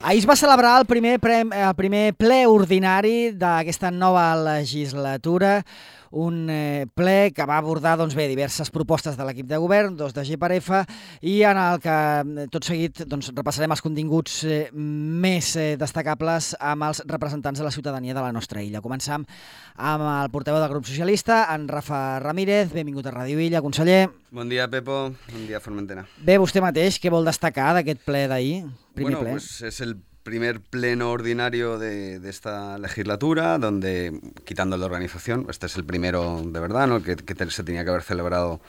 Ahir es va celebrar el primer ple ordinari d'aquesta nova legislatura, un ple que va abordar diverses propostes de l'equip de govern, dos de G/F, i en el que tot seguit repassarem els continguts més destacables amb els representants de la ciutadania de la nostra illa. Començam amb el portaveu del grup socialista, en Rafa Ramírez. Benvingut a Ràdio Illa, conseller. Bon dia, Pepo. Bon dia, Formentera. Bé, vostè mateix, què vol destacar d'aquest ple d'ahir? Bueno, pues es el primer pleno ordinario de esta legislatura, donde, quitando la organización, este es el primero de verdad, ¿no? que se tenía que haber celebrado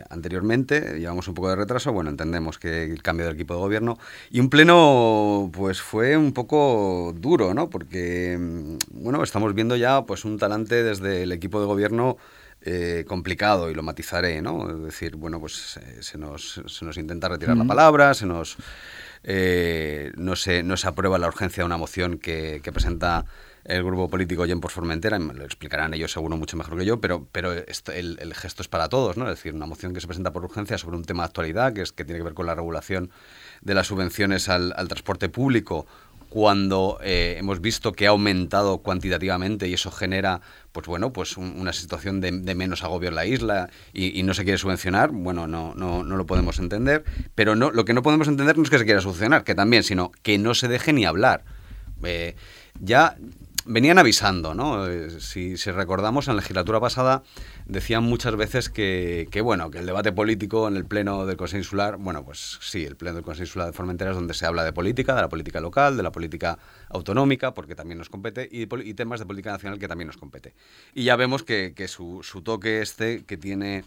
anteriormente. Llevamos un poco de retraso, entendemos que el cambio del equipo de gobierno, y un pleno pues fue un poco duro, ¿no? Porque estamos viendo ya pues un talante desde el equipo de gobierno complicado, y lo matizaré, ¿no? Es decir, se nos intenta retirar la palabra, no se aprueba la urgencia de una moción que presenta el grupo político Gent por Formentera, me lo explicarán ellos seguro mucho mejor que yo, pero el gesto es para todos, ¿no? Es decir, una moción que se presenta por urgencia sobre un tema de actualidad, que tiene que ver con la regulación de las subvenciones al transporte público, cuando hemos visto que ha aumentado cuantitativamente y eso genera una situación de menos agobio en la isla y no se quiere subvencionar, no lo podemos entender, pero lo que no podemos entender no es que se quiera subvencionar, que también, sino que no se deje ni hablar. Ya venían avisando, ¿no? Si recordamos, en la legislatura pasada decían muchas veces que el debate político en el pleno del Consejo Insular, sí, el pleno del Consejo Insular de Formentera es donde se habla de la política local, de la política autonómica, porque también nos compete, y temas de política nacional que también nos compete. Y ya vemos que su toque que tiene...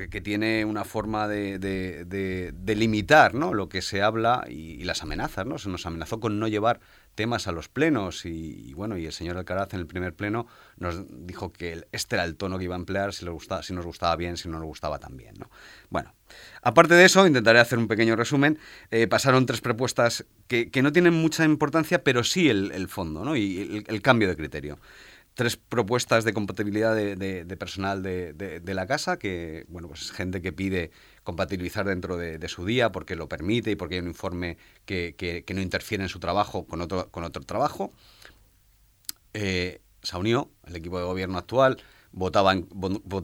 que tiene una forma de limitar, ¿no?, lo que se habla y las amenazas, ¿no? Se nos amenazó con no llevar temas a los plenos y el señor Alcaraz en el primer pleno nos dijo que este era el tono que iba a emplear, si nos gustaba bien, si no nos gustaba también, ¿no? Aparte de eso, intentaré hacer un pequeño resumen. Pasaron 3 propuestas que no tienen mucha importancia, pero sí el fondo, ¿no?, y el cambio de criterio. 3 propuestas de compatibilidad de personal de la casa, que es gente que pide compatibilizar dentro de su día porque lo permite y porque hay un informe que no interfiere en su trabajo con otro trabajo. Se unió el equipo de gobierno actual, votaba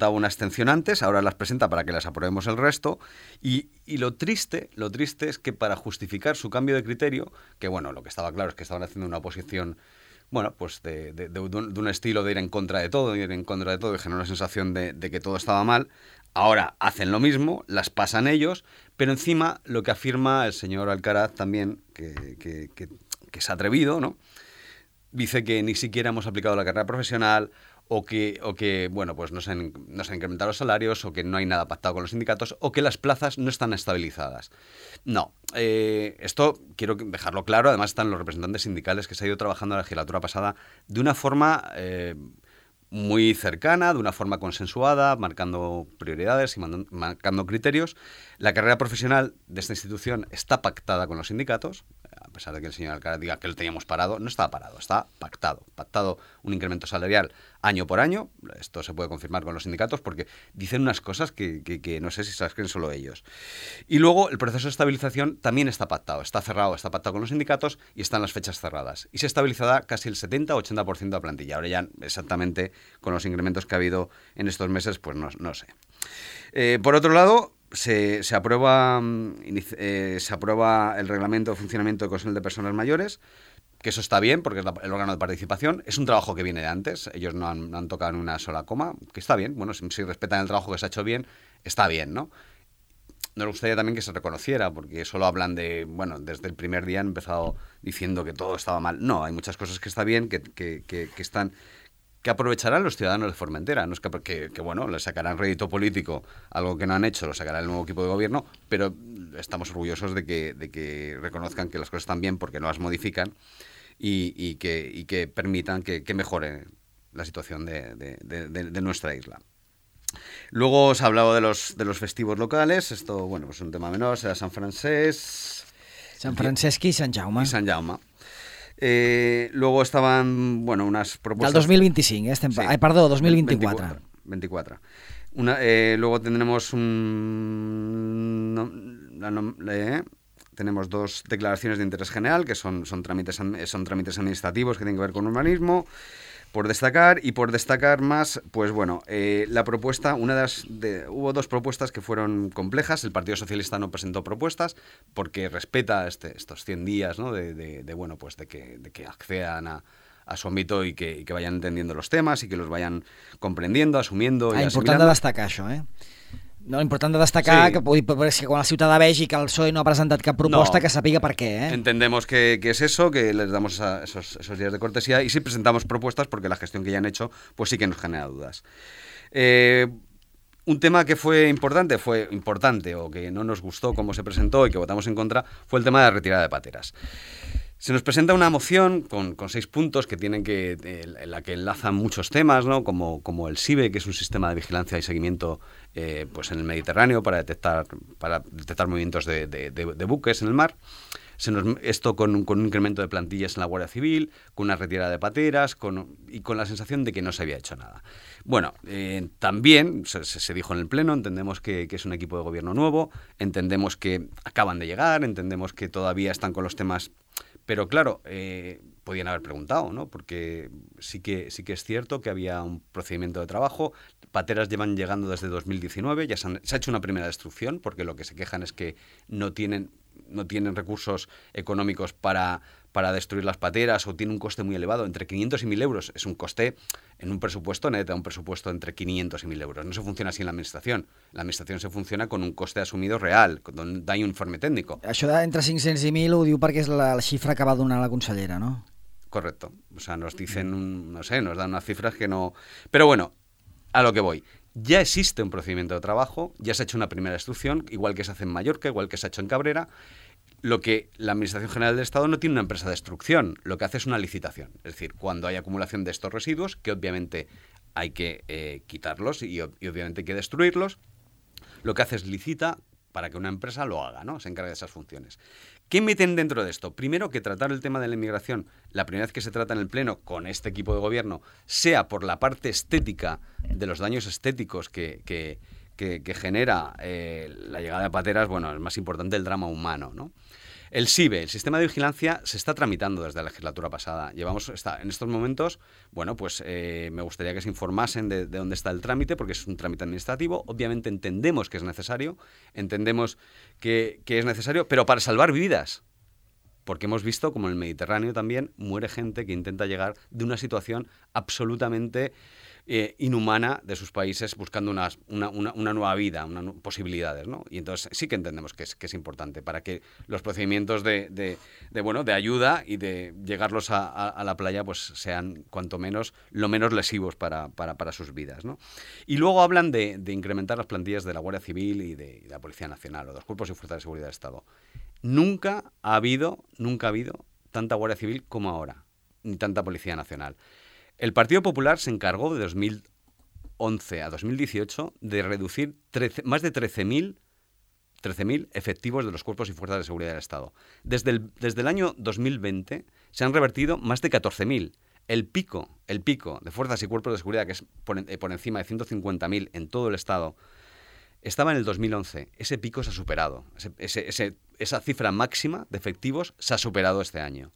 una abstención antes, ahora las presenta para que las aprobemos el resto, y lo triste es que para justificar su cambio de criterio, que lo que estaba claro es que estaban haciendo una oposición de un estilo de ir en contra de todo, y generó la sensación de que todo estaba mal. Ahora hacen lo mismo, las pasan ellos, pero encima lo que afirma el señor Alcaraz también, que es atrevido, ¿no? Dice que ni siquiera hemos aplicado la carrera profesional, o que no se han incrementado los salarios, o que no hay nada pactado con los sindicatos, o que las plazas no están estabilizadas. No, esto quiero dejarlo claro. Además están los representantes sindicales que se ha ido trabajando en la legislatura pasada de una forma muy cercana, de una forma consensuada, marcando prioridades y marcando criterios. La carrera profesional de esta institución está pactada con los sindicatos, a pesar de que el señor Alcaraz diga que lo teníamos parado. No estaba parado, está pactado un incremento salarial año por año. Esto se puede confirmar con los sindicatos porque dicen unas cosas que no sé si se las creen solo ellos. Y luego el proceso de estabilización también está pactado, está cerrado, está pactado con los sindicatos y están las fechas cerradas. Y se estabilizará casi el 70-80% de la plantilla. Ahora ya exactamente con los incrementos que ha habido en estos meses, pues no sé. Por otro lado, se aprueba el reglamento de funcionamiento del Consell de Personas Mayores, que eso está bien porque es el órgano de participación. Es un trabajo que viene de antes, ellos no han tocado ni una sola coma, que está bien. Si respetan el trabajo que se ha hecho bien, está bien, ¿no? Nos gustaría también que se reconociera, porque solo hablan desde el primer día han empezado diciendo que todo estaba mal. No, hay muchas cosas que está bien, que aprovecharán los ciudadanos de Formentera. No es que le sacarán rédito político, algo que no han hecho, lo sacará el nuevo equipo de gobierno, pero estamos orgullosos de que reconozcan que las cosas están bien porque no las modifican y que permitan que mejore la situación de nuestra isla. Luego os he hablado de los festivos locales. Esto, es un tema menor, será Sant Francesc i Sant Jaume. Luego estaban, unas propuestas... Del 2025, sí. Perdó, 2024. 24. Luego tendremos tenemos 2 declaraciones de interés general, que son trámites administrativos que tienen que ver con urbanismo, por destacar más, pues bueno, la propuesta, hubo 2 propuestas que fueron complejas. El Partido Socialista no presentó propuestas porque respeta estos 100 días, ¿no? de que accedan a su ámbito y que vayan entendiendo los temas y que los vayan comprendiendo, asumiendo y important de destacar això, No, important de destacar que quan el ciutadà vegi que el PSOE no ha presentat cap proposta, que sàpiga per què. Entendemos que es eso, que les damos esos días de cortesía, y sí presentamos propuestas porque la gestión que ya han hecho pues sí que nos genera dudas. Un tema que fue importante o que no nos gustó cómo se presentó y que votamos en contra fue el tema de la retirada de pateras. Se nos presenta una moción con 6 puntos que tienen en la que enlazan muchos temas, ¿no? Como el SIBE, que es un sistema de vigilancia y seguimiento pues en el Mediterráneo para detectar movimientos de buques en el mar. Esto con un incremento de plantillas en la Guardia Civil, con una retirada de pateras y con la sensación de que no se había hecho nada. Bueno, también se dijo en el Pleno, entendemos que es un equipo de gobierno nuevo, entendemos que acaban de llegar, entendemos que todavía están con los temas. Pero claro, podían haber preguntado, ¿no? Porque sí que es cierto que había un procedimiento de trabajo. Pateras llevan llegando desde 2019, ya se ha hecho una primera destrucción, porque lo que se quejan es que no tienen recursos económicos para destruir las pateras, o tiene un coste muy elevado, entre 500 y 1.000 euros. Es un coste en un presupuesto, necesita un presupuesto entre 500 y 1.000 euros. No se funciona así en la administración. La administración se funciona con un coste asumido real, donde hay un informe técnico. Això d'entre 500 i 1.000 ho diu perquè és la xifra que va donar la consellera, ¿no? Correcto. O sea, nos dicen, nos dan unas cifras que no... Pero bueno, a lo que voy. Ya existe un procedimiento de trabajo, ya se ha hecho una primera destrucción, igual que se hace en Mallorca, igual que se ha hecho en Cabrera. Lo que la Administración General del Estado no tiene una empresa de destrucción, lo que hace es una licitación. Es decir, cuando hay acumulación de estos residuos, que obviamente hay que quitarlos y obviamente hay que destruirlos, lo que hace es licita para que una empresa lo haga, ¿no? Se encargue de esas funciones. ¿Qué meten dentro de esto? Primero, que tratar el tema de la inmigración, la primera vez que se trata en el Pleno con este equipo de gobierno, sea por la parte estética de los daños estéticos que genera la llegada de pateras. Bueno, es más importante el drama humano, ¿no? El SIBE, el sistema de vigilancia, se está tramitando desde la legislatura pasada. En estos momentos, bueno, pues me gustaría que se informasen de dónde está el trámite, porque es un trámite administrativo. Obviamente entendemos que es necesario, pero para salvar vidas. Porque hemos visto como en el Mediterráneo también muere gente que intenta llegar de una situación absolutamente inhumana de sus países, buscando una nueva vida, posibilidades, ¿no? Y entonces sí que entendemos que es importante para que los procedimientos de ayuda y de llegarlos a la playa pues sean cuanto menos lo menos lesivos para sus vidas, ¿no? Y luego hablan de incrementar las plantillas de la Guardia Civil y de la Policía Nacional, o de los cuerpos y fuerzas de seguridad del Estado. Nunca ha habido tanta Guardia Civil como ahora, ni tanta Policía Nacional. El Partido Popular se encargó de 2011 a 2018 de reducir más de 13.000 efectivos de los cuerpos y fuerzas de seguridad del Estado. Desde el año 2020 se han revertido más de 14.000. El pico de fuerzas y cuerpos de seguridad, que es por encima de 150.000 en todo el Estado, estaba en el 2011. Ese pico se ha superado. Esa cifra máxima de efectivos se ha superado este año.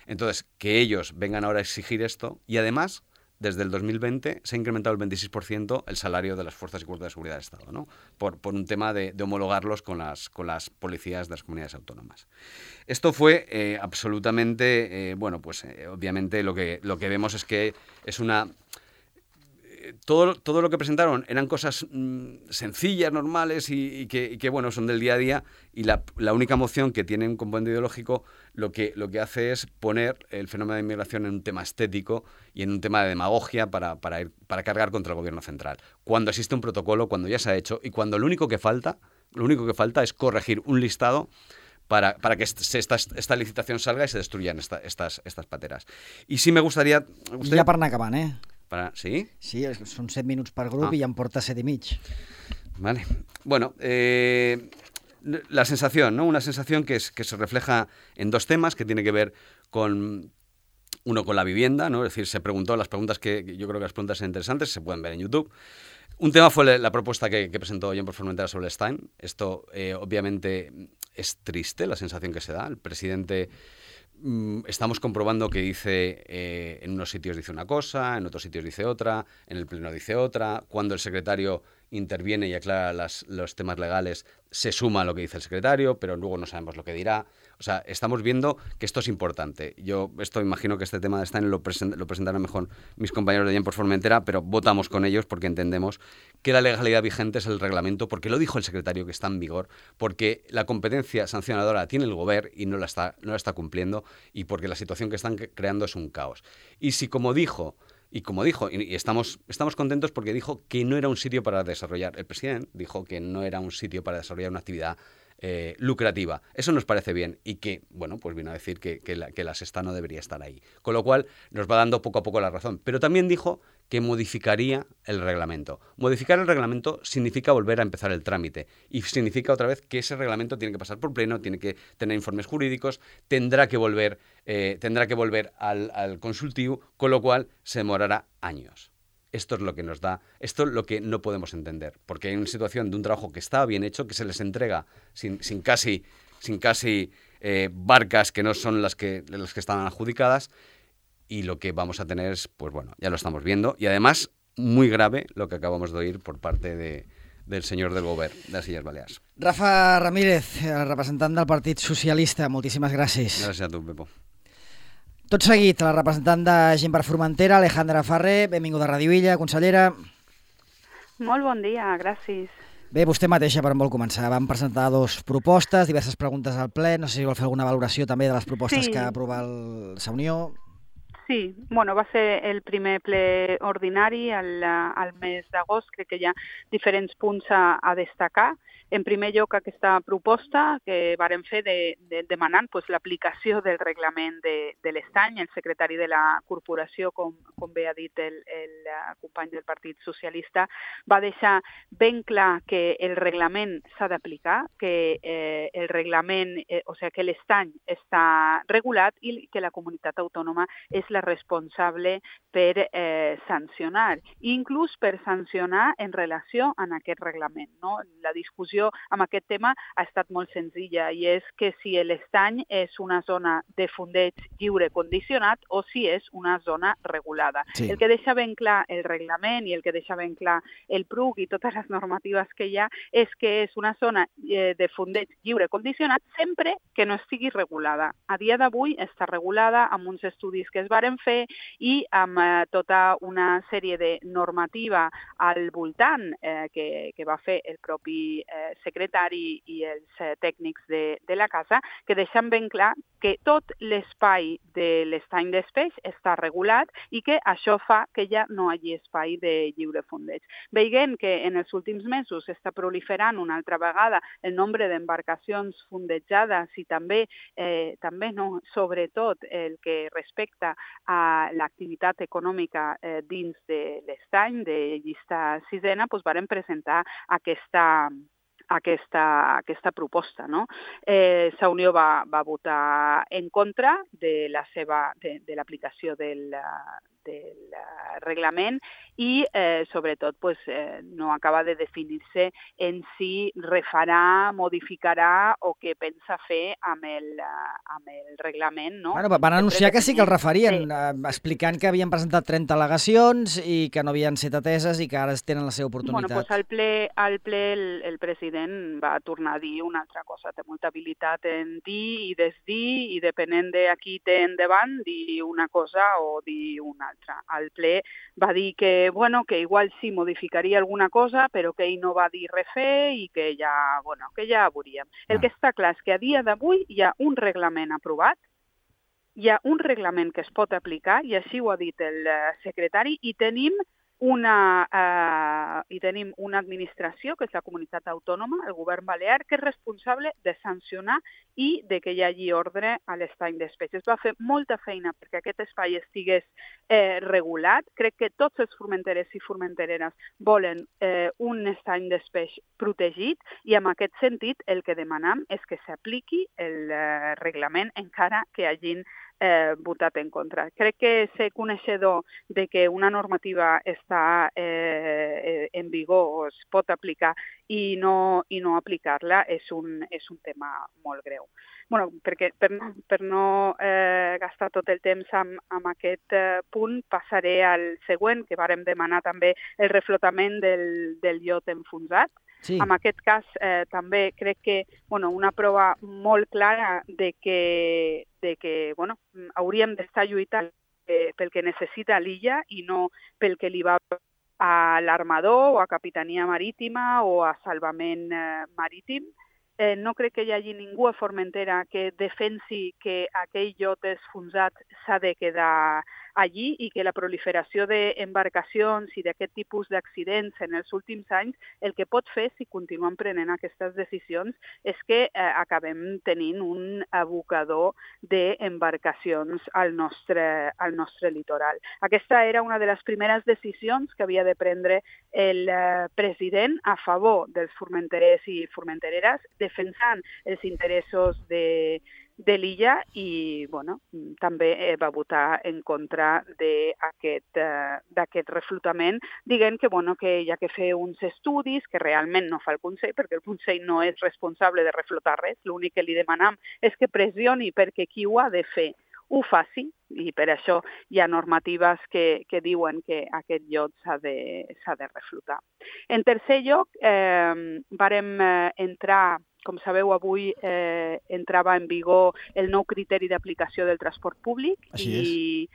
Entonces, que ellos vengan ahora a exigir esto, y además, desde el 2020 se ha incrementado el 26% el salario de las fuerzas y cuerpos de seguridad del Estado, ¿no? Por un tema de homologarlos con las policías de las comunidades autónomas. Esto fue absolutamente, obviamente lo que vemos es que es una... Todo lo que presentaron eran cosas sencillas, normales y que bueno, son del día a día, y la única moción que tiene un componente ideológico lo que hace es poner el fenómeno de inmigración en un tema estético y en un tema de demagogia para cargar contra el gobierno central. Cuando existe un protocolo, cuando ya se ha hecho, y cuando lo único que falta es corregir un listado para que esta licitación salga y se destruyan estas pateras. Y sí me gustaría... Ja per anar acabant, ¿Sí? Sí, són 7 minuts per grup i ja em porta 7 i mig. Vale. Bueno, la sensación, ¿no? Una sensación que se refleja en 2 temas que tiene que ver con la vivienda, ¿no? Es decir, se preguntó las preguntas que yo creo que las preguntas son interesantes, se pueden ver en YouTube. Un tema fue la propuesta que presentó Gent per Formentera sobre el Stein. Esto, obviamente, es triste la sensación que se da. El presidente, estamos comprobando que dice, en unos sitios dice una cosa, en otros sitios dice otra, en el pleno dice otra. Cuando el secretario interviene y aclara los temas legales, se suma a lo que dice el secretario, pero luego no sabemos lo que dirá. O sea, estamos viendo que esto es importante. Yo imagino que este tema de Stein lo presentarán mejor mis compañeros de por Formentera, pero votamos con ellos porque entendemos que la legalidad vigente es el reglamento, porque lo dijo el secretario que está en vigor, porque la competencia sancionadora la tiene el gobierno y no la está cumpliendo, y porque la situación que están creando es un caos. Y si como dijo, y estamos contentos porque dijo que no era un sitio para desarrollar, el presidente dijo que no era un sitio para desarrollar una actividad lucrativa. Eso nos parece bien y que, bueno, pues vino a decir que la Sexta no debería estar ahí. Con lo cual nos va dando poco a poco la razón. Pero también dijo que modificaría el reglamento. Modificar el reglamento significa volver a empezar el trámite y significa otra vez que ese reglamento tiene que pasar por pleno, tiene que tener informes jurídicos, tendrá que volver al consultivo, con lo cual se demorará años. Esto es lo que nos da, esto es lo que no podemos entender, porque hay una situación de un trabajo que está bien hecho, que se les entrega sin casi barcas que no son las que estaban adjudicadas, y lo que vamos a tener es, pues bueno, ya lo estamos viendo, y además muy grave lo que acabamos de oír por parte del senyor del govern de les Illes Balears. Rafa Ramírez, representant del Partit Socialista, moltíssimes gràcies. Gràcies a tu, Pepo. Tot seguit, la representant de Gent per Formentera, Alejandra Ferrer, benvinguda a Ràdio Illa, consellera. Molt bon dia, gràcies. Bé, vostè mateixa, per on vol començar? Vam presentar 2 propostes, diverses preguntes al ple, no sé si vol fer alguna valoració també de les propostes que ha aprovat la Unió. Sí, bueno, va ser el primer ple ordinari al mes d'agost. Crec que hi ha diferents punts a destacar. En primer lloc, aquesta proposta que vàrem fer demanant l'aplicació del reglament de l'estany. El secretari de la corporació, com bé ha dit el company del Partit Socialista, va deixar ben clar que el reglament s'ha d'aplicar, que el reglament, o sigui, que l'estany està regulat i que la comunitat autònoma és la responsable per sancionar, inclús per sancionar en relació amb aquest reglament. No? La discussió amb aquest tema ha estat molt senzilla i és que si l'estany és una zona de fondeig lliure condicionat o si és una zona regulada. Sí. El que deixa ben clar el reglament i el que deixa ben clar el PRUC i totes les normatives que hi ha és que és una zona de fondeig lliure condicionat sempre que no estigui regulada. A dia d'avui està regulada amb uns estudis que es varen fer i amb tota una sèrie de normativa al voltant que va fer el propi secretari i els tècnics de la casa, que deixen ben clar que tot l'espai de l'estany d'Espeix està regulat i que això fa que ja no hi hagi espai de lliure fondeig. Veient que en els últims mesos està proliferant una altra vegada el nombre d'embarcacions fondejades i també no, sobretot el que respecta a l'activitat econòmica dins de l'estany, de llista sisena, doncs varen presentar aquesta proposta. No? La Unió va votar en contra de l'aplicació del reglament i, sobretot, no acaba de definir-se en si refarà, modificarà o què pensa fer amb el reglament. No? Bueno, van anunciar que sí que el refarien, explicant que havien presentat 30 al·legacions i que no havien set ateses i que ara tenen la seva oportunitat. Bueno, al ple el president va tornar a dir una altra cosa. Té molta habilitat en dir i desdir i depenent de a qui té endavant, dir una cosa o dir una altra. Al ple va dir que igual sí modificaria alguna cosa, però que ell no va dir res fer i que ja veuríem. El que està clar és que a dia d'avui hi ha un reglament aprovat, hi ha un reglament que es pot aplicar, i així ho ha dit el secretari, i tenim una administració, que és la comunitat autònoma, el govern balear, que és responsable de sancionar i de que hi hagi ordre a l'estany d'Espeix. Es va fer molta feina perquè aquest espai estigués regulat. Crec que tots els formenteres i formentereres volen un estany d'Espeix protegit i en aquest sentit el que demanem és que s'apliqui el reglament encara que hagin votat en contra. Crec que ser coneixedor de que una normativa està en vigor o es pot aplicar i no aplicar-la és un tema molt greu. Bueno, perquè per no gastar tot el temps amb aquest punt, passaré al següent, que vàrem demanar també el reflotament del iot enfonsat. Sí. En aquest cas, també crec que una prova molt clara de que hauríem d'estar lluitant pel que necessita l'illa i no pel que li va a l'armador o a Capitania Marítima o a Salvament Marítim. No crec que hi hagi ningú a Formentera que defensi que aquell iot enfonsat s'ha de quedar allí i que la proliferació d'embarcacions i d'aquest tipus d'accidents en els últims anys el que pot fer, si continuem prenent aquestes decisions, és que acabem tenint un abocador d'embarcacions al nostre litoral. Aquesta era una de les primeres decisions que havia de prendre el president a favor dels formenterers i formentereres, defensant els interessos de l'illa i també va votar en contra d'aquest reflotament, dient que hi ha que fer uns estudis que realment no fa el Consell, perquè el Consell no és responsable de reflotar res, l'únic que li demanem és que pressioni perquè qui ho ha de fer ho faci, i per això hi ha normatives que diuen que aquest iot s'ha de reflotar. En tercer lloc, vàrem entrar, com sabeu, avui entrava en vigor el nou criteri d'aplicació del transport públic i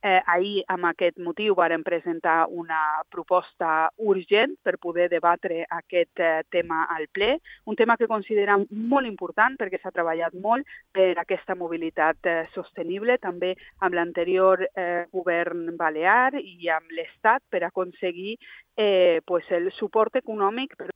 ahir, amb aquest motiu, vàrem presentar una proposta urgent per poder debatre aquest tema al ple, un tema que considerem molt important perquè s'ha treballat molt per aquesta mobilitat sostenible, també amb l'anterior govern balear i amb l'Estat per aconseguir el suport econòmic per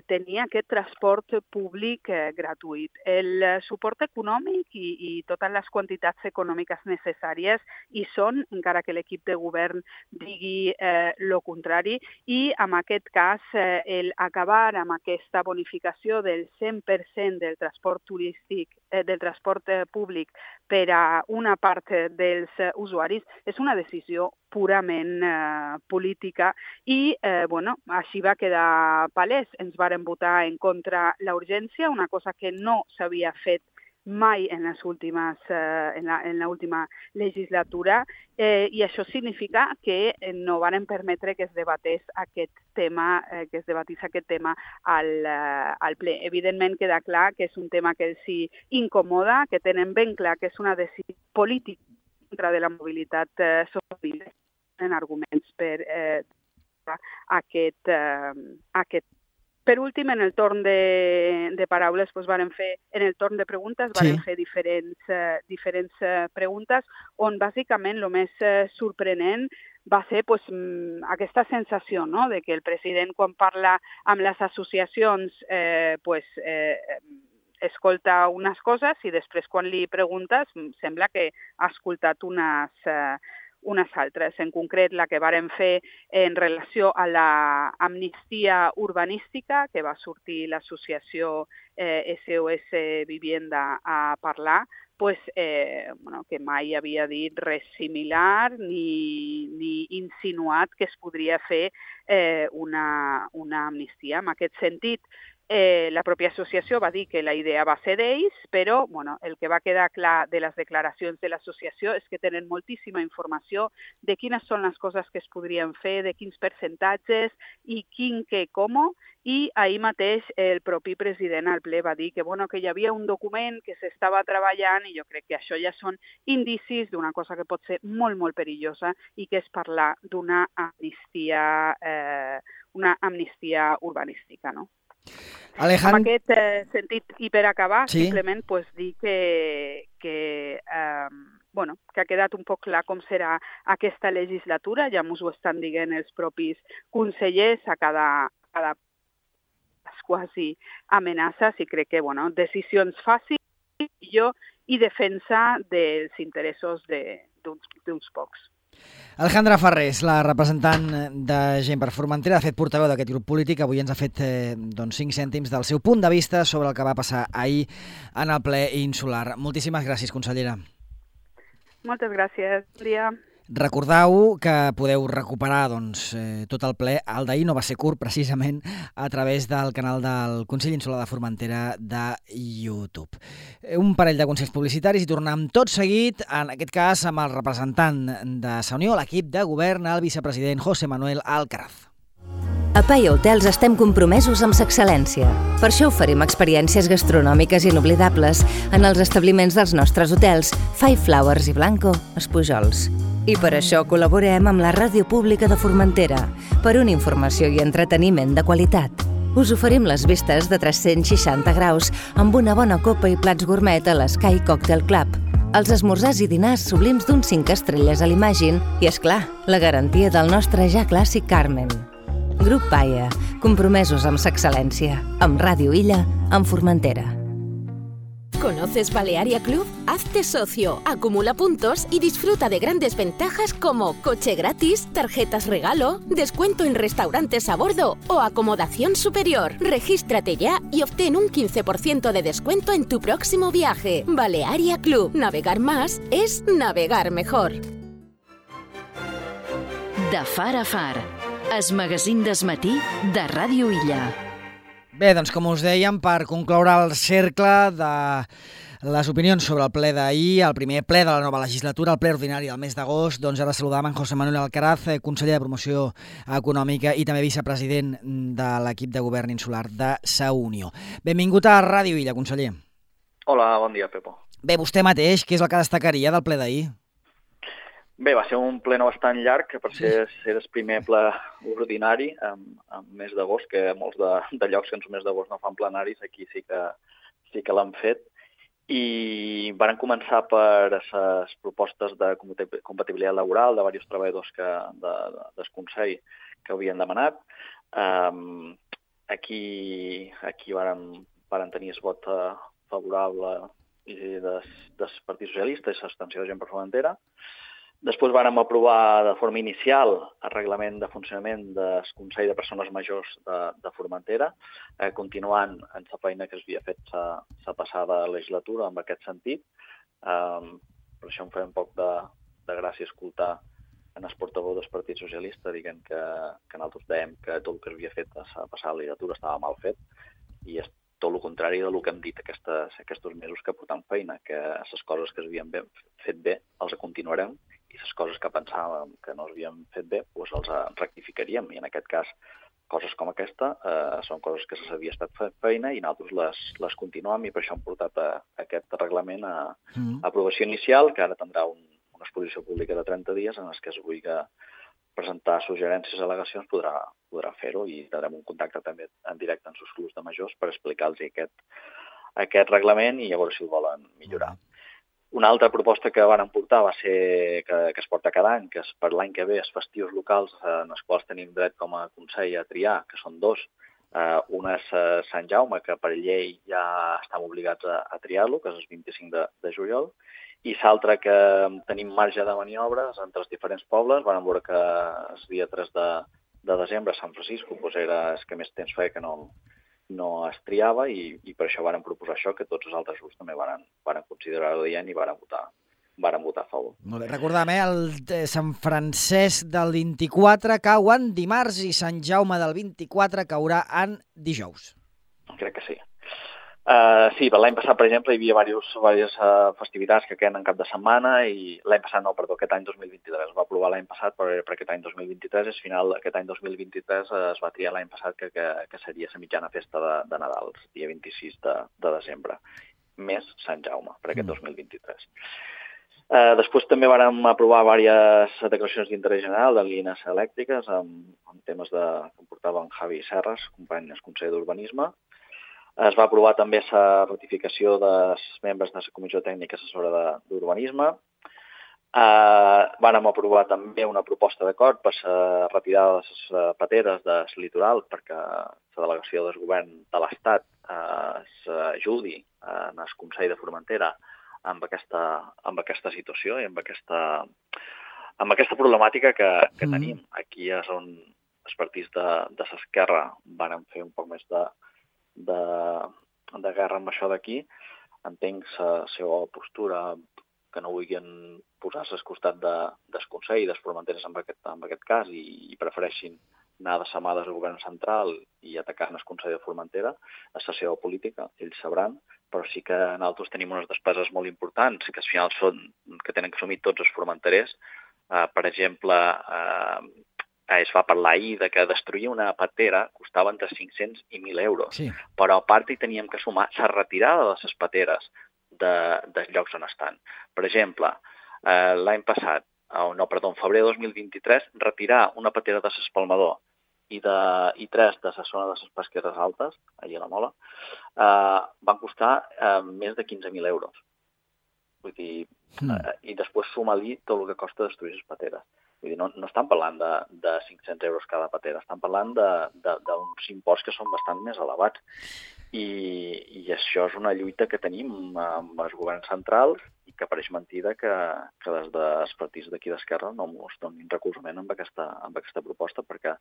tenir aquest transport públic gratuït. El suport econòmic i totes les quantitats econòmiques necessàries hi són, encara que l'equip de govern digui el contrari, i en aquest cas acabar amb aquesta bonificació del 100% del transport turístic, del transport públic per a una part dels usuaris és una decisió purament política i així va quedar palès. Ens varen votar en contra la urgència, una cosa que no s'havia fet mai en l'última legislatura i això significa que no varen permetre que es debatís aquest tema al ple. Evidentment queda clar que és un tema que els incomoda, que tenen ben clar que és una decisió política contra de la mobilitat sostenible, en arguments per aquest. Per últim, en el torn de paraules, en el torn de preguntes, vàrem fer diferents preguntes, on bàsicament el més sorprenent va ser aquesta sensació de que el president, quan parla amb les associacions, escolta unes coses i després, quan li preguntes, sembla que ha escoltat unes altres, en concret la que vàrem fer en relació a l'amnistia urbanística, que va sortir l'associació SOS Vivienda a parlar, que mai havia dit res similar ni insinuat que es podria fer una amnistia. En aquest sentit, la pròpia associació va dir que la idea va ser d'ells, però el que va quedar clar de les declaracions de l'associació és que tenen moltíssima informació de quines són les coses que es podrien fer, de quins percentatges i quin què com, i ahir mateix el propi president al ple va dir que hi havia un document que s'estava treballant i jo crec que això ja són indicis d'una cosa que pot ser molt, molt perillosa i que és parlar d'una amnistia urbanística, no? Alejandro... En aquest sentit, i per acabar, simplement dir que ha quedat un poc clar com serà aquesta legislatura, ja ens ho estan dient els propis consellers a cada quasi amenaces i crec que decisions fàcils i defensa dels interessos d'uns pocs. Alejandra Farrés, la representant de Gent per Formentera, ha fet portaveu d'aquest grup polític. Avui ens ha fet 5 cèntims del seu punt de vista sobre el que va passar ahir en el ple insular. Moltíssimes gràcies, consellera. Moltes gràcies. Bon dia. Recordeu que podeu recuperar tot el ple. El d'ahir no va ser curt, precisament, a través del canal del Consell Insular de Formentera de YouTube. Un parell de consells publicitaris i tornem tot seguit, en aquest cas amb el representant de Sa Unió, l'equip de govern, el vicepresident José Manuel Alcaraz. A Pai Hotels estem compromesos amb l'excel·lència. Per això oferim experiències gastronòmiques inoblidables en els establiments dels nostres hotels Five Flowers i Blanco, Espujols. I per això col·laborem amb la Ràdio Pública de Formentera per una informació i entreteniment de qualitat. Us oferim les vistes de 360 graus amb una bona copa i plats gourmet a l'Sky Cocktail Club, els esmorzars i dinars sublims d'un 5 estrelles a l'Imagine i, és clar, la garantia del nostre ja clàssic Carmen. Grup Paia, compromesos amb l'excel·lència, amb Ràdio Illa, amb Formentera. ¿Conoces Balearia Club? Hazte socio, acumula puntos y disfruta de grandes ventajas como coche gratis, tarjetas regalo, descuento en restaurantes a bordo o acomodación superior. Regístrate ya y obtén un 15% de descuento en tu próximo viaje. Balearia Club. Navegar más es navegar mejor. De far a far, el magazín d'esmatí de Ràdio Illa. Bé, doncs com us dèiem, per concloure el cercle de les opinions sobre el ple d'ahir, el primer ple de la nova legislatura, el ple ordinari del mes d'agost, doncs ara saludàvem en José Manuel Alcaraz, conseller de Promoció Econòmica i també vicepresident de l'equip de govern insular de Sa Unió. Benvingut a Ràdio Illa, conseller. Hola, bon dia, Pepo. Bé, vostè mateix, què és el que destacaria del ple d'ahir? Bé, va ser un ple no bastant llarg, que per ser el primer ple ordinari, en mes d'agost, que molts de llocs que en el mes d'agost no fan plenaris, aquí sí que l'han fet. I van començar per les propostes de compatibilitat laboral de diversos treballadors del Consell que havien demanat. Aquí varen tenir el vot favorable del Partit Socialista i l'abstenció de Gent per Formentera. Després vàrem aprovar de forma inicial el reglament de funcionament del Consell de Persones Majors de Formentera, continuant en la feina que s'havia fet la passada legislatura en aquest sentit. Per això em feia un poc de gràcia escoltar en el portaveu del Partit Socialista dient que nosaltres dèiem que tot el que s'havia fet a la passada legislatura estava mal fet, i és tot el contrari del que hem dit aquests mesos que portem feina, que les coses que s'havien fet bé els continuarem, i les coses que pensàvem que no s'havien fet bé doncs els rectificaríem, i en aquest cas coses com aquesta són coses que s'havia estat fent feina i nosaltres les continuem, i per això hem portat aquest reglament a aprovació inicial, que ara tindrà una exposició pública de 30 dies en què es vulgui presentar suggerències i al·legacions podrà fer-ho, i tindrem un contacte també en directe amb els clubs de majors per explicar-los aquest reglament i a veure si el volen millorar. Una altra proposta que van portar va ser que es porta cada any, que és per l'any que ve els festius locals en els quals tenim dret com a Consell a triar, que són dos. Un és Sant Jaume, que per llei ja estem obligats a triar-lo, que és el 25 de juliol, i l'altre que tenim marge de maniobres entre els diferents pobles. Vam veure que el dia 3 de desembre a Sant Francisco era el que més temps feia que no es triava, i per això vàrem proposar això, que tots els altres grups també varen considerar-ho dient i varen votar a favor. Molt bé, recordem, el Sant Francesc del 24 cau en dimarts i Sant Jaume del 24 caurà en dijous. Crec que sí. Sí, l'any passat, per exemple, hi havia diverses festivitats que queden en cap de setmana, i aquest any 2023 es va aprovar l'any passat per aquest any 2023, i al final aquest any 2023 es va triar l'any passat que seria la mitjana festa de Nadal, el dia 26 de desembre, més Sant Jaume per aquest 2023. Després també vàrem aprovar diverses declaracions d'interès general de línies elèctriques amb temes que portava en Javi Serres, company del Consell d'Urbanisme. Es va aprovar també la ratificació dels membres de la Comissió Tècnica Assessora d'Urbanisme. Vàrem aprovar també una proposta d'acord per la retirada de les pateres del litoral, perquè la delegació del govern de l'Estat s'ajudi en el Consell de Formentera amb aquesta situació i amb aquesta problemàtica que tenim. Aquí és on els partits de l'esquerra van fer un poc més de guerra amb això d'aquí. Entenc la seva postura no vulguin posar-se al costat del Consell i dels Formenteres en aquest cas i prefereixin anar de samades al govern central i atacar el Consell de Formentera, és la seva política, ells sabran, però sí que nosaltres tenim unes despeses molt importants que al final que tenen que assumir tots els formenterers. Per exemple, es va parlar ahir de que destruir una patera costava entre 500 i 1.000 euros, Sí. però a part hi teníem que sumar la retirada de les pateres dels llocs on estan. Per exemple, l'any passat, en febrer de 2023, retirar una patera de l'Espalmador i 3 de la zona de les Pesqueres Altes, allà a la Mola, van costar més de 15.000 euros. Vull dir, i després suma-li tot el que costa destruir les pateres. Vull dir, no estan parlant de 500 euros cada patera, estan parlant d'uns imports que són bastant més elevats. I això és una lluita que tenim amb els governs centrals i que pareix mentida que des dels partits d'aquí d'Esquerra no ens donin recolzament amb aquesta proposta, perquè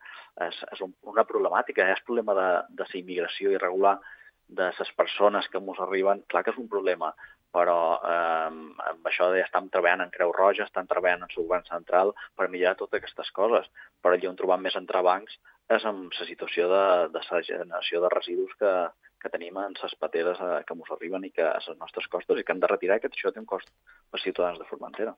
és una problemàtica, és problema de la immigració irregular de les persones que ens arriben, clar que és un problema, però amb això ja estem treballant en Creu Roja, estem treballant en el govern central per millorar totes aquestes coses, però allà on trobam més entrebancs és amb la situació de la generació de residus que tenim en les pateres que ens arriben i que a les nostres costes i que hem de retirar, que això té un cost per ciutadans de Formentera.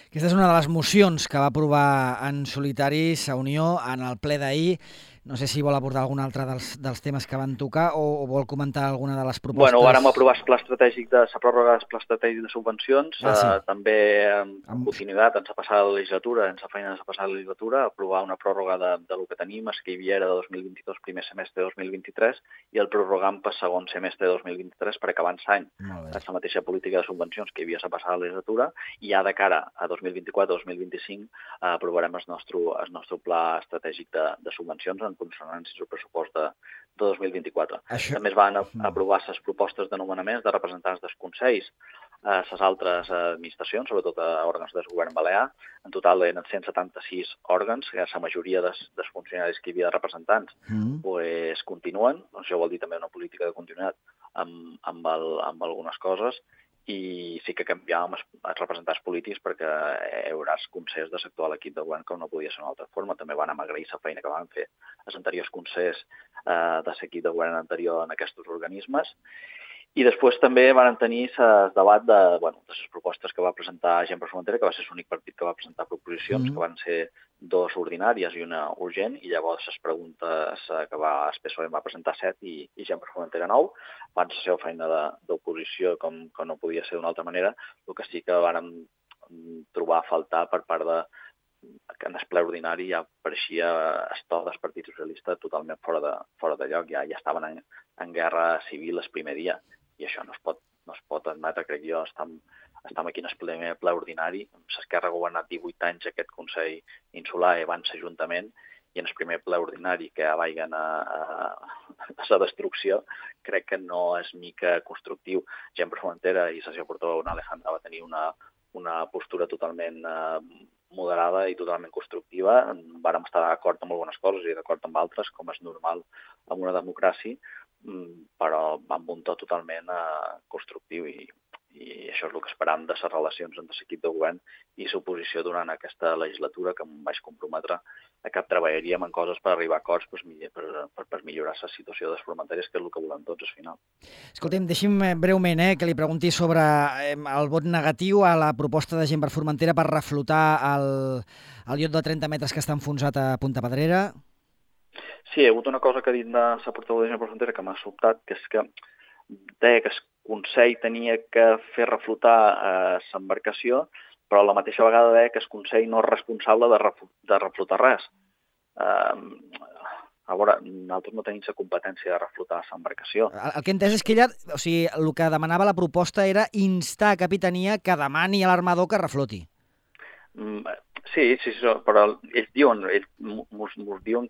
Aquesta és una de les mocions que va aprovar en solitari a Unió en el ple d'ahir. No sé si vol abordar algun altre dels temes que van tocar o vol comentar alguna de les propostes. Bueno, vàrem aprovar el pla estratègic la pròrroga del pla estratègic de subvencions, sí. També en continuïtat en la passada legislatura, en la feina de la passada legislatura, aprovar una pròrroga del que tenim, el que hi havia era de 2022, primer semestre de 2023, i el prorrogant per segon semestre de 2023 per acabar l'any. És la mateixa política de subvencions que hi havia a la passada legislatura, i ja de cara a 2024-2025 aprovarem el nostre pla estratègic de subvencions en consonància amb el pressupost de 2024. També es van aprovar les propostes de nomenaments de representants dels consells a les altres administracions, sobretot a òrgans del govern balear. En total eren 176 òrgans, que la majoria dels funcionaris que hi havia de representants continuen. Això vol dir també una política de continuïtat amb algunes coses. I sí que canviàvem els representants polítics perquè hi haurà els consells de sector a l'equip de govern que no podia ser d'una altra forma. També van agrair la feina que van fer els anteriors consells de l'equip de govern anterior en aquests organismes. I després també van tenir el debat de les propostes que va presentar Gent per Formentera, que va ser l'únic partit que va presentar proposicions, que van ser 2 ordinàries i una urgent, i llavors les preguntes que el PSOE va presentar 7 i Gent per Formentera 9, van ser la seva feina d'oposició com no podia ser d'una altra manera. El que sí que vàrem trobar a faltar per part que en el ple ordinari ja apareixia el to del Partit Socialista totalment fora de lloc, ja estaven en guerra civil el primer dia, i això no es pot admetre, crec jo. Estem aquí en el ple ordinari, l'Esquerra ha governat 18 anys aquest Consell Insular i abans l'Ajuntament, i en el primer ple ordinari que vagin a la destrucció, crec que no és mica constructiu. Gent per Formentera i la seva portaveu, Alejandra, va tenir una postura totalment moderada i totalment constructiva. Vàrem estar d'acord amb algunes coses i d'acord amb altres, com és normal en una democràcia, però amb un to totalment constructiu, i això és el que esperam de les relacions entre l'equip de govern i l'oposició durant aquesta legislatura, que em vaig comprometre a que treballaríem en coses per arribar a acords per millorar la situació dels formenters, que és el que volem tots al final. Escolta'm, deixi'm breument que li pregunti sobre el vot negatiu a la proposta de Gent per Formentera per reflotar el iot de 30 metres que està enfonsat a Punta Pedrera. Sí, hi ha hagut una cosa que ha dit la portaveu de Gent per Formentera que m'ha sobtat, que és que deia que el Consell tenia que fer reflotar l'embarcació, però a la mateixa vegada deia que el Consell no és responsable de reflotar res. A veure, nosaltres no tenim la competència de reflotar l'embarcació. El que he entès és que ella, el que demanava la proposta era instar a Capitania que demani a l'armador que refloti. Sí, però ells diuen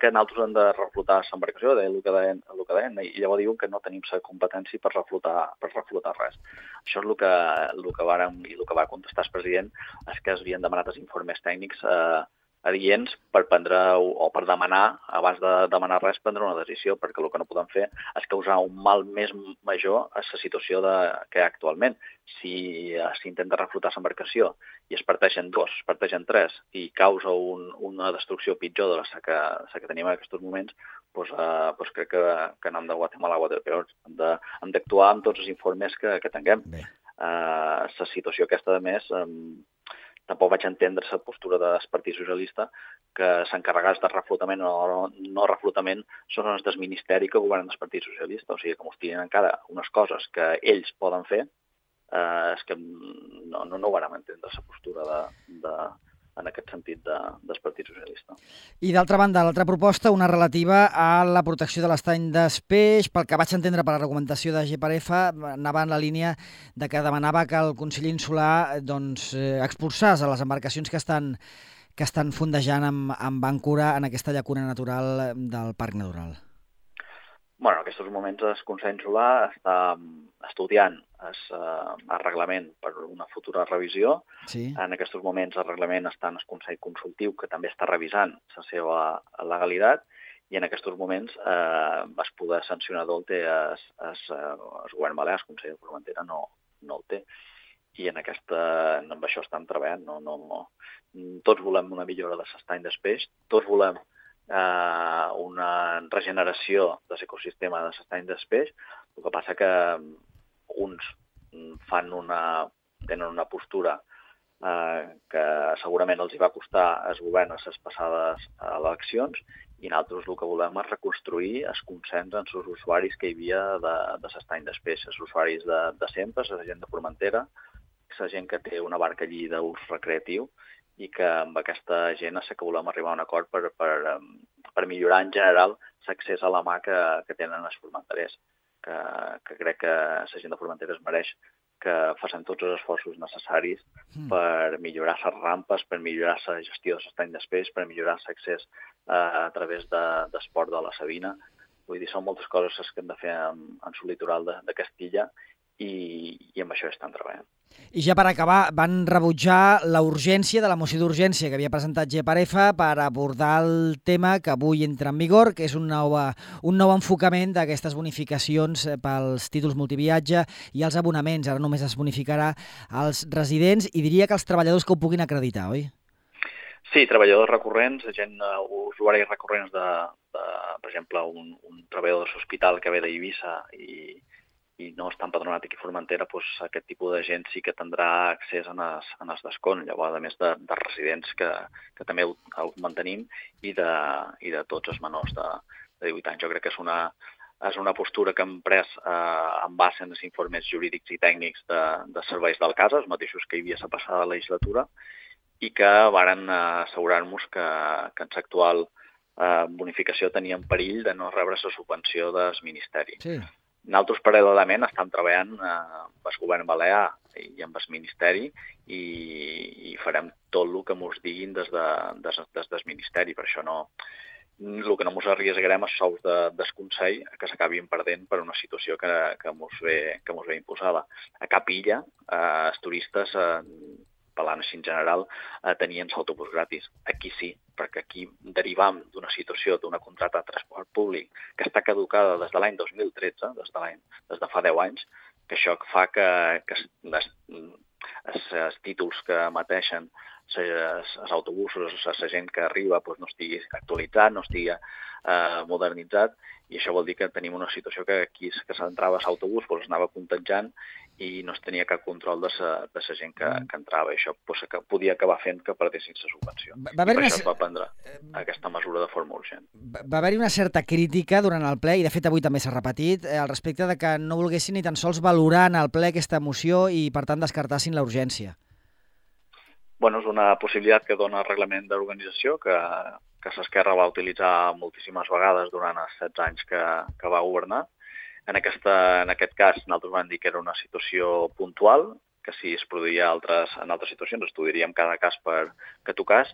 que nosaltres hem de reflotar l'embarcació, el que deien, i llavors diuen que no tenim la competència per reflotar res. Això és el que vàrem, i el que va contestar el president, és que es havien demanat els informes tècnics adients per prendre o per demanar, abans de demanar res, prendre una decisió, perquè el que no podem fer és causar un mal més major a la situació que hi ha actualment. Si s'intenta reflotar l'embarcació i es parteixen 2, es parteixen 3 i causa una destrucció pitjor de la que tenim en aquests moments, doncs crec que no hem de Guatemala a Guatepeor. Hem d'actuar amb tots els informes que tinguem. La situació aquesta, a més, tampoc vaig entendre la postura del Partit Socialista, que s'encarregats de reflotament o no reflotament són els del Ministeri que governen el Partit Socialista. O sigui, que mos tiren encara unes coses que ells poden fer, és que no ho vam entendre, la postura en aquest sentit del Partit Socialista. I d'altra banda, l'altra proposta, una relativa a la protecció de l'estany d'Espeix, pel que vaig entendre per la argumentació de GPRF, anava en la línia de que demanava que el Consell Insular expulsés a les embarcacions que estan fondejant amb àncora en aquesta llacuna natural del Parc Natural. En aquests moments el Consell Insular està estudiant el reglament per una futura revisió. Sí. En aquests moments el reglament està en el Consell Consultiu, que també està revisant la seva legalitat, i en aquests moments es poder sancionador el té el govern balear, el Consell de Formentera no el té. I amb això estan treballant. Tots volem una millora de l'estany d'Espeix, tots volem una regeneració de l'ecosistema de l'estany d'Espeix. El que passa que uns tenen una postura que segurament els hi va costar el govern a les passades eleccions, i nosaltres el que volem és reconstruir el consens amb els usuaris que hi havia de l'estany d'Espeix, els usuaris de sempre, la gent de Formentera, la gent que té una barca allí d'ús recreatiu, i que amb aquesta gent és que volem arribar a un acord per millorar en general l'accés a la mà que tenen els formenterers, que crec que la gent de Formentera es mereix que facin tots els esforços necessaris per millorar les rampes, per millorar la gestió de l'estany d'Espeix, per millorar l'accés a través d'esport de la Sabina. Vull dir, són moltes coses que hem de fer en el litoral de Castilla, i amb això estan treballant. I ja per acabar, van rebutjar la urgència de la moció d'urgència que havia presentat GPRF per abordar el tema que avui entra en vigor, que és un nou enfocament d'aquestes bonificacions pels títols multiviatge i els abonaments. Ara només es bonificarà als residents i diria que els treballadors que ho puguin acreditar, oi? Sí, treballadors recurrents, usuaris recurrents per exemple, un treballador de l'hospital que ve d'Eivissa i no està empadronat aquí a Formentera, doncs aquest tipus de gent sí que tindrà accés en els descomptes, llavors a més de residents que també ho mantenim, i de tots els menors de 18 anys. Jo crec que és una postura que hem pres en base en els informes jurídics i tècnics de serveis del cas, els mateixos que hi havia la passada legislatura, i que varen assegurar-nos que en l'actual bonificació tenia en perill de no rebre la subvenció del Ministeri. Sí. Nosaltres, paral·lelament, estem treballant amb el govern balear i amb el Ministeri, i farem tot el que ens diguin des del Ministeri. Per això el que no ens arriesgarem és sous del Consell que s'acabin perdent per una situació que ens ve imposada. A cap illa, els turistes, parlant així en general, tenien l'autobús gratis. Aquí sí, perquè aquí derivam d'una situació, d'una contracta de transport públic que està caducada des de l'any 2013, des de fa 10 anys, que això fa que els títols que emeteixen els autobusos, la gent que arriba, no estigui actualitzat, no estigui modernitzat, i això vol dir que tenim una situació que aquí que s'entrava a l'autobús anava contagiant i no es tenia cap control de la gent que entrava. I això que podia acabar fent que perdessin la subvenció. I per això es va prendre aquesta mesura de forma urgent. Va haver-hi una certa crítica durant el ple, i de fet avui també s'ha repetit, al respecte de que no volguessin ni tan sols valorar en el ple aquesta moció i per tant descartassin la urgència. És una possibilitat que dona el reglament d'organització, que l'Esquerra va utilitzar moltíssimes vegades durant els 16 anys que va governar. En aquest cas, nosaltres vam dir que era una situació puntual, que si es produïa en altres situacions estudiaríem cada cas que tocàs,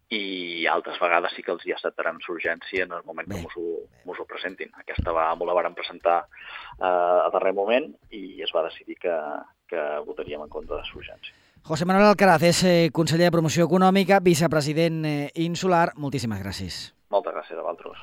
i altres vegades sí que els hi acceptarem l'urgència en el moment que mos ho presentin. Aquesta la vàrem presentar a darrer moment i es va decidir que votaríem en contra de l'urgència. José Manuel Alcaraz és conseller de Promoció Econòmica, vicepresident insular. Moltíssimes gràcies. Moltes gràcies a vosaltres.